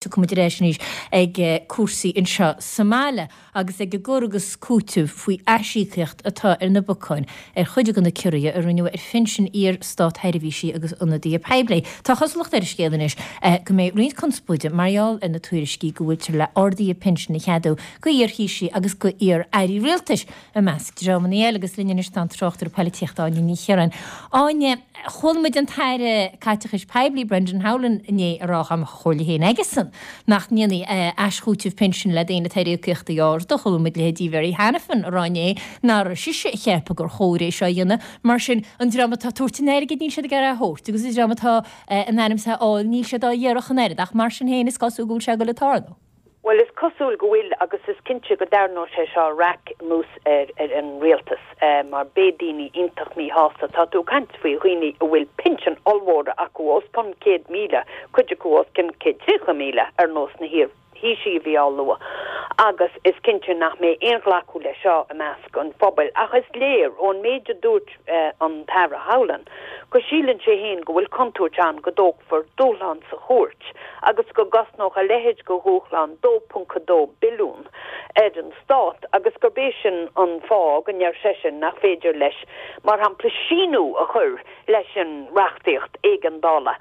Tiocfaidh muid ar ais anois ag cúrsaí anseo sa mbaile agus ag an gcur agus cúiteamh faoi aisíocaíocht atá ar na bacáin ar chuid de na ciorruithe a rinneadh ar phinsin iar-státsheirbhísigh agus ionadaithe poiblí. Tá cosúlacht ar an scéal anois go mbeidh roinnt conspóide mar gheall ar na tuairiscí go bhfuiltear le arduithe pinsin a cheadú go iar-Thaoisigh agus go iar-airí rialtais i measc dreamanna eile agus linn anois tá an tráchtaire poilitíochta Áine Ní Chiaráin. Áine, Chuala muid an tAire Caiteachais Poiblí Brendan Howlin inné ag rá dá mbeadh a chomhairle féin aigesan nach ndéanfaí aischúiteamh pinsin le daoine atá ar íocaíochtaí arda. Chuala muid leithéidí Mary Hanafin ag rá inné nach raibh sise ag ceapadh gur chóir é seo a dhéanamh. Mar sin, an dream atá ag tabhairt an airgid níl siad ag iarraidh é a thabhairt agus an dream atá in ainm is é a fháil níl siad á iarraidh ach an oiread. Ach mar sin féin is cosúil go bhfuil sé ag dul ag tarlú. Bhuel, is cosúil go bhfuil agus is cinnte go dtarraingeoidh sé seo raic anuas ar an rialtas mar beidh daoine iontach míshásta. Tá tú ag caint faoi dhaoine a bhfuil pinsin ollmhóra acu, os cionn 100,000, cuid acu os cionn 130,000 ar nós na hiar-Thaoisigh a bhí á lua agus is cinnte nach mbeidh aon ghlacadh leis seo i measc an phobail. Ach is léir ón méid a dúirt an tAire Howlin go síleann sé féin go bhfuil contúirt ann go dtógfar dúshlán sa chúirt agus go gcosnódh a leithéid de dhúshlán 2.2 billiún ar an stát agus gurb é sin an fáth go ndeir seisean nach féidir leis, mar shampla, síniú a chur leis an reachtaíocht éigeandála.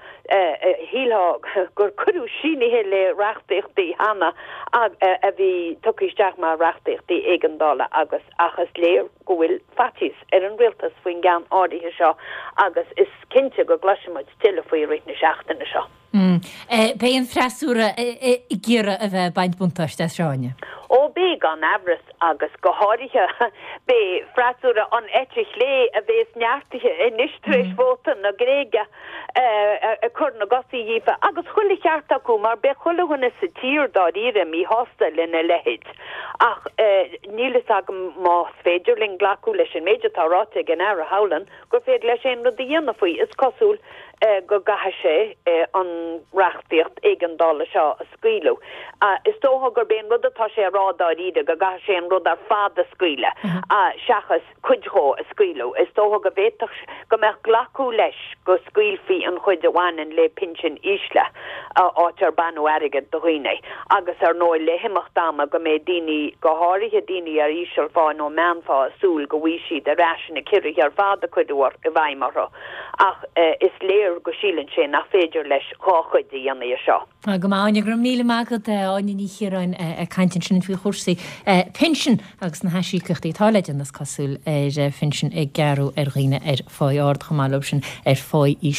Shílfeá gur cuireadh sínithe le reachtaíochtaí cheana a bhí tugtha isteach mar reachtaíochtaí éigeandála agus ach is léir go bhfuil faitíos ar an rialtas faoin gceann áirithe seo agus is cinnte go gcloisfidh muid tuilleadh faoi i rith na seachtaine seo. Beidh an freasúra ag iarraidh a bheith ag baint buntáiste as seo, Áine. Ó beidh, gan amhras, agus go háirithe beidh freasúra an eite chlé a bhéas neartaithe anois tar éis vóta na Gréige ag cur na gcosaí dhíofa, agus chuile cheart acu mar beidh chuile dhuine sa tír dáiríre míshásta lena leithéid. Ach níl fhios agam más féidir linn glacadh leis an méid atá ráite ag an Aire Howlin gur féidir leis aon rud a dhéanamh faoi. Is cosúil go gcaithfidh sé an reachtaíocht éigeandála seo a scaoileadh. Is dócha gurb é an rud atá sé a rá dáiríre go gcaithfidh sé an rud ar fad a scaoileadh seachas cuid dhó a scaoileadh. Is dócha go bhféadfadh go mbeadh glacadh leis go scaoilfí an chuid a bhaineann le pinsin ísle, áit ar baineadh airgead de dhaoine, agus ar ndóigh le himeacht ama go mbeidh daoine, go háirithe daoine ar ísealphá nó meánphá, ag súil go bhfaighidh siad ar ais na ciorruithe ar fad a cuireadh i bhfeidhm orthu. Ach is léir go síleann sé nach féidir leis dhá chuid a dhéanamh dhe seo. Go maith, Áine. Go raibh míle maith agat, Áine Ní Chiaráin, ag caint ansin faoi chúrsaí pinsin agus na haisíocaíochtaí atá le déanamh, is cosúil, ar phinsin ag gearradh ar dhaoine ar pháigh ard chomh maith leo sin ar pháigh íseal.